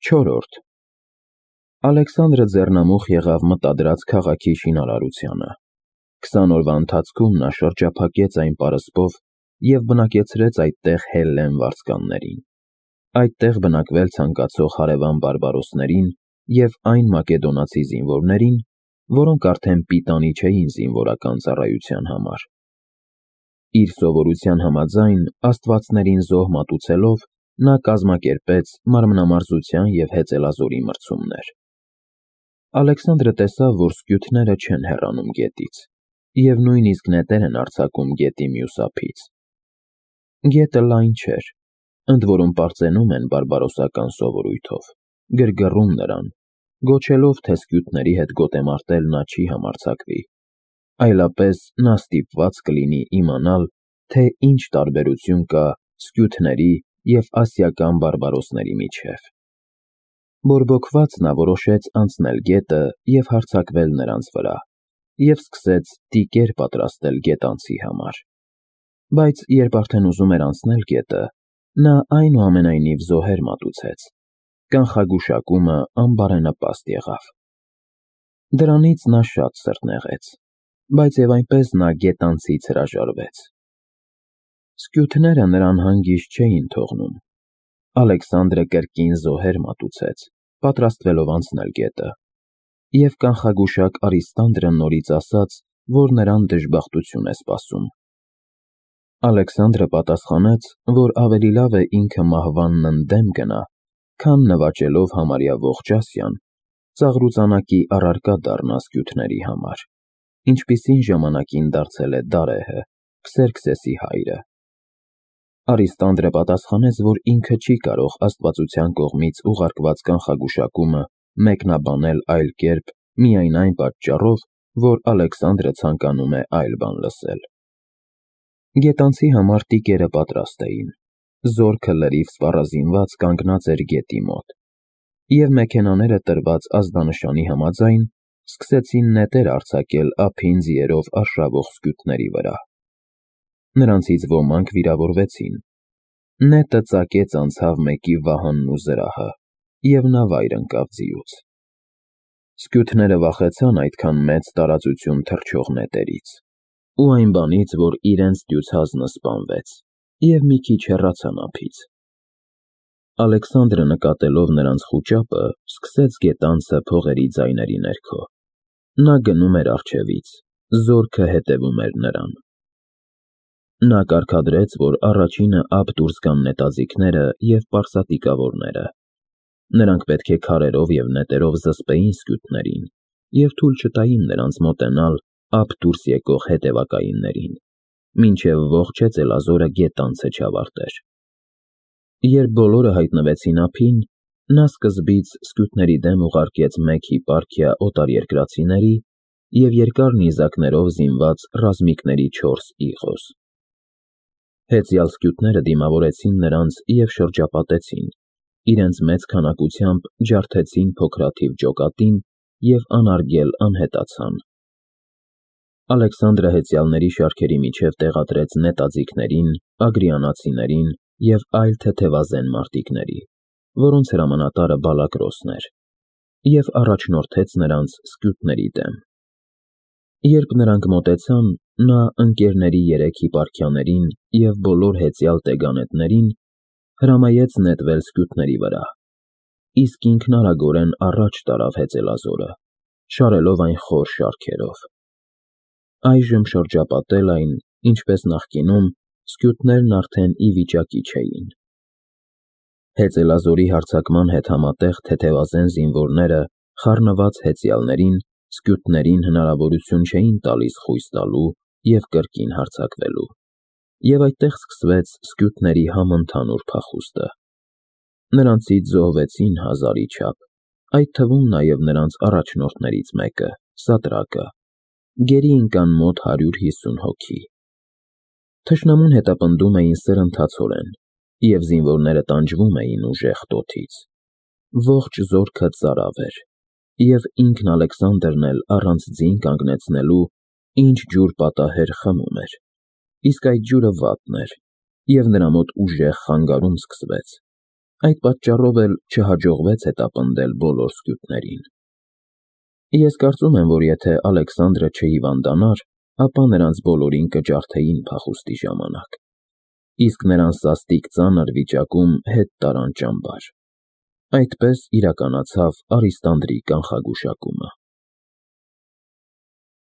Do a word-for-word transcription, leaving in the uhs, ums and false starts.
Չորրորդ Ալեքսանդրը ձեռնամուխ եղավ մտադրած քաղաքի շինարարությանը։ Քսան օրվա ընթացքում նա շրջափակեց այն պարսպով և բնակեցրեց այդտեղ հելլեն վարձկաններին։ Այդտեղ բնակվել ցանկացող հարևան բարբարոսներին և այն մակեդոնացի զինվորներին, որոնք արդեն պիտանի չէին զինվորական ծառայության համար։ Իր սովորության համաձայն, աստվածներին զոհ մատուցելով, նա կազմակերպեց մարմնամարզության և հեծելազորի մրցումներ։ Ալեքսանդրը տեսավ, որ սկյութները չեն հեռանում գետից, և նույնիսկ նետեր են արձակում գետի մյուս ափից։ Գետը լայն չէր, ընդ որում պարծենում են բարբարոսական սովորույթով, գրգռում նրան, գոչելով, թե սկյութների հետ գոտեմարտել նա չի համարձակվի, այլապես նա ստիպված կլինի իմանալ, թե ինչ տարբերություն կա սկյութների և ասիական բարբարոսների միջև։ Բորբոքված նա որոշեց անցնել գետը և հարձակվել նրանց վրա և սկսեց տիկեր պատրաստել գետանցի համար։ Բայց երբ արդեն ուզում էր անցնել գետը, նա այնուամենայնիվ զոհեր մատուցեց։ Կանխագուշակումը անբարենպաստ եղավ։ Դրանից նա շատ սրտնեղեց, բայց և այնպես նա գետանցից հրաժարվեց։ Սկյութները նրան հանգիստ չէին թողնում։ Ալեքսանդրը կրկին զոհեր մատուցեց, պատրաստվելով անցնել գետը, և կանխագուշակ Արիստանդրը նորից ասաց, որ նրան դժբախտություն է սպասում։ Ալեքսանդրը պատասխանեց, որ ավելի լավ է ինքը մահվանն ընդդեմ գնա, քան նվաճելով համարյա ողջ Ասիան, ծաղրուծանակի առարկա դառնա սկյութների համար, ինչպիսին ժամանակին դարձել է Դարեհը, Քսերքսեսի հայրը։ Արիստանդրը պատասխանեց, որ ինքը չի կարող աստվածության կողմից ուղարկված կանխագուշակումը մեկնաբանել այլ կերպ միայն այն պատճառով, որ Ալեքսանդրը ցանկանում է այլ բան լսել։ Գետանցի համար տիկերը պատրաստ էին, զորքը լրիվ սպառազինված կանգնած էր գետի մոտ, և մեքենաները տրված ազդանշանի համաձայն սկսեցին նետեր արձակել ափին ձիերով արշավող սկյութների վրա։ Նրանցից ոմանք վիրավորվեցին։ Նետը ծակեց անցավ մեկի վահանն ու զրահը, և նա վայր ընկավ ձիուց։ Սկյութները վախեցան այդքան մեծ տարածություն թռչող նետերից ու այն բանից, որ իրենց դյուցազնը սպանվեց, և մի քիչ հեռացան ափից։ Ալեքսանդրը, նկատելով նրանց խուճապը, սկսեց գետանցը փողերի ձայների ներքո։ Նա գնում էր առջևից, զորքը հետևում էր նրան։ Նա կարգադրեց, որ առաջինը ափ դուրս գան նետաձիգները և պարսատիկավորները։ Նրանք պետք է քարերով և նետերով զսպեին սկյութներին և թույլ չտային նրանց մոտենալ ափ դուրս եկող հետևակայիններին, մինչև ողջ հեծելազորը գետանցը չավարտեր։ Երբ բոլորը հայտնվեցին ափին, նա սկզբից սկյութների դեմ ուղարկեց մեկ հիպարքիա օտարերկրացիների և երկար նիզակներով զինված ռազմիկների չորս իղոս։ Հեծյալ սկյութները դիմավորեցին նրանց և շրջապատեցին, իրենց մեծ քանակությամբ ջարդեցին փոքրաթիվ ջոկատին և անարգել անհետացան։ Ալեքսանդրը հեծյալների շարքերի միջև տեղադրեց նետաձիգներին, ագրիանացիներին և այլ թեթևազեն մարտիկների, որոնց հրամանատարը Բալակրոսն էր, և առաջնորդեց նրանց սկյութների դեմ։ Երբ նրանք մոտեցան, նա ընկերների երեք հիպարքիաներին և բոլոր հեծյալ տեգանետներին հրամայեց նետվել սկյութների վրա, իսկ ինքն արագորեն առաջ տարավ հեծելազորը, շարելով այն խոր շարքերով։ Այժմ շրջապատել այն, ինչպես նախկինում, սկյութներն արդեն ի վիճակի չէին։ Հեծելազորի հարձակման հետ համատեղ թեթևազեն զինվորները խառնված հեծյալներին, սկյութներին հնարավորություն չէին տալիս խույս տալու և կրկին հարձակվելու, և այդտեղ սկսվեց սկյութների համընդհանուր փախուստը։ Նրանցից զոհվեցին հազարի չափ, այդ թվում նաև նրանց առաջնորդներից մեկը՝ Սատրակը, գերի ընկան մոտ հարյուր հիսուն հոգի։ Թշնամուն հետապնդում էին սրընթացորեն, և զինվորները տանջվում էին ուժեղ տոթից։ Ողջ զորքը ծարավ էր, և ինքն Ալեքսանդրն էլ առանց ձին կանգնեցնելու ինչ ջուր պատահեր խմում էր, իսկ այդ ջուրը վատն էր, և նրա մոտ ուժեղ խանգարում սկսվեց։ Այդ պատճառով էլ չհաջողվեց հետապնդել բոլոր սկյութներին։ Ես կարծում եմ, որ եթե Ալեքսանդրը չհիվանդանար, ապա նրանց բոլորին կջարդեին փախուստի ժամանակ, իսկ նրան սաստիկ ծանր վիճակում հետ տարան ճամբար։ Այդպես իրականացավ Արիստանդրի կանխագուշակումը։